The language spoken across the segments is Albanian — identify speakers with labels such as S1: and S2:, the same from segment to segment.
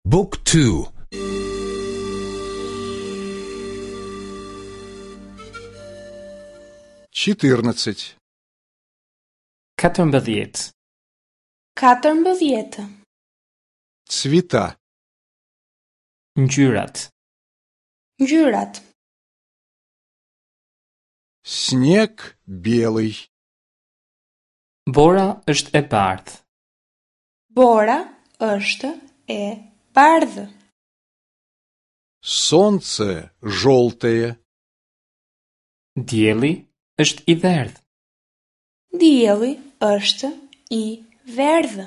S1: Book 2
S2: 14.
S3: 14.
S4: 14.
S2: Цвета.
S3: Ngjyrat.
S4: Ngjyrat.
S2: Снег белый.
S3: Bora është e bardhë.
S4: Bora është e bardhë.
S2: Солнце желтое.
S3: Dielli është i verdhë.
S4: Dielli është i verdhë.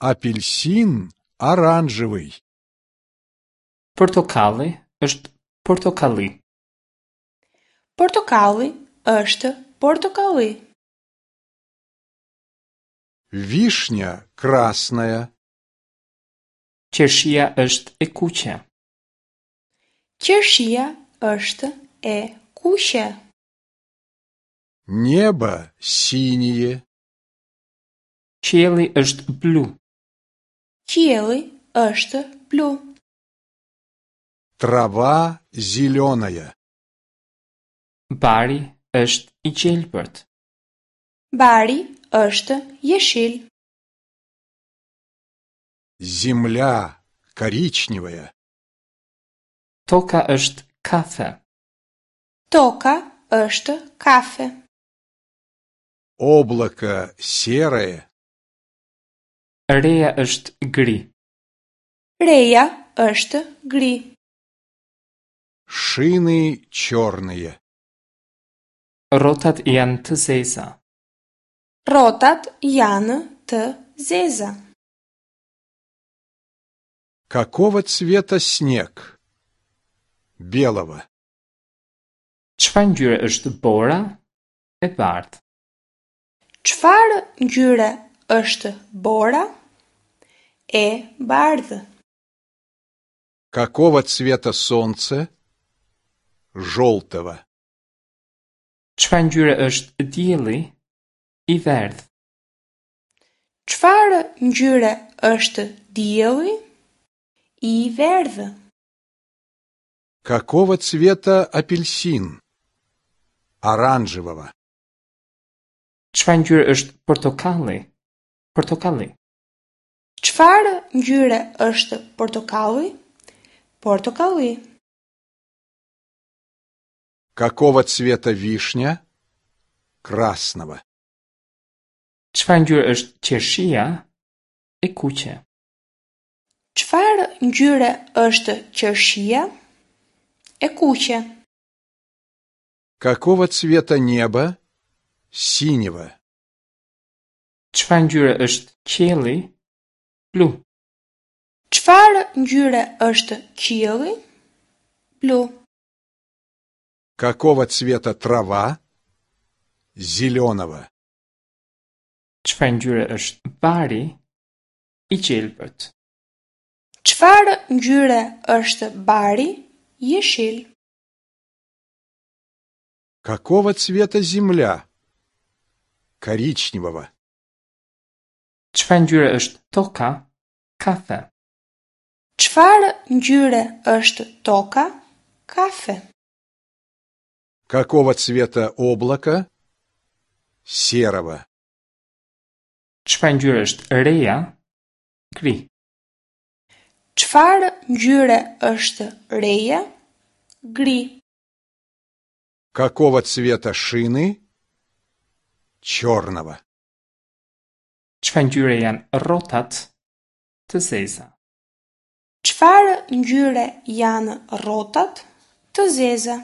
S2: Апельсин оранжевый.
S3: Portokalli është portokalli.
S4: Portokalli është portokalli.
S2: Вишня красная.
S3: Qershia është e kuqe.
S4: Qershia është e kuqe.
S2: Небо синее.
S3: Qielli është blu.
S4: Qielli është blu.
S2: Трава зеленая.
S3: Bari është i gjelbërt.
S4: Bari është jeshil.
S2: Земля коричневая.
S3: Toka është kafe.
S4: Toka është kafe.
S2: Облако серое.
S3: Reja është gri.
S4: Reja është gri.
S2: Шины черные.
S3: Rrotat janë të zeza.
S4: Rrotat janë të zeza.
S2: Какого цвета снег? Белого.
S3: Çfarë ngjyre është bora? E bardhë.
S4: Çfarë ngjyre është bora? E bardhë.
S2: Какого цвета солнце? Желтого.
S3: Çfarë ngjyre është dielli? I verdhë.
S4: Çfarë ngjyre është dielli? I verdhë.
S2: Какого цвета апельсин? Оранжевого.
S3: Çfarë ngjyre është portokalli? Portokalli.
S4: Çfarë ngjyre është portokalli? Portokalli.
S2: Какого цвета вишня? Красного.
S3: Çfarë ngjyre është qershia? E kuqe.
S4: Çfarë ngjyre është qershia? E kuqe.
S2: Какого цвета небо? Синего.
S3: Çfarë ngjyre është qielli? Blu.
S4: Çfarë ngjyre është qielli? Blu.
S2: Какого цвета трава? Зеленого.
S3: Çfarë ngjyre është bari? I gjelbërt.
S4: Çfarë ngjyre është bari? Jeshil.
S2: Какого цвета земля? Коричневого.
S3: Çfarë ngjyre është toka? Kafe.
S4: Çfarë ngjyre është toka? Kafe.
S2: Какого цвета облако? Серого.
S3: Çfarë ngjyre është reja? Gri.
S4: Çfarë ngjyre është reja? Gri.
S2: Какого цвета шины? Черного.
S3: Çfarë ngjyre janë rrotat? Të zeza.
S4: Çfarë ngjyre janë rrotat? Të zeza.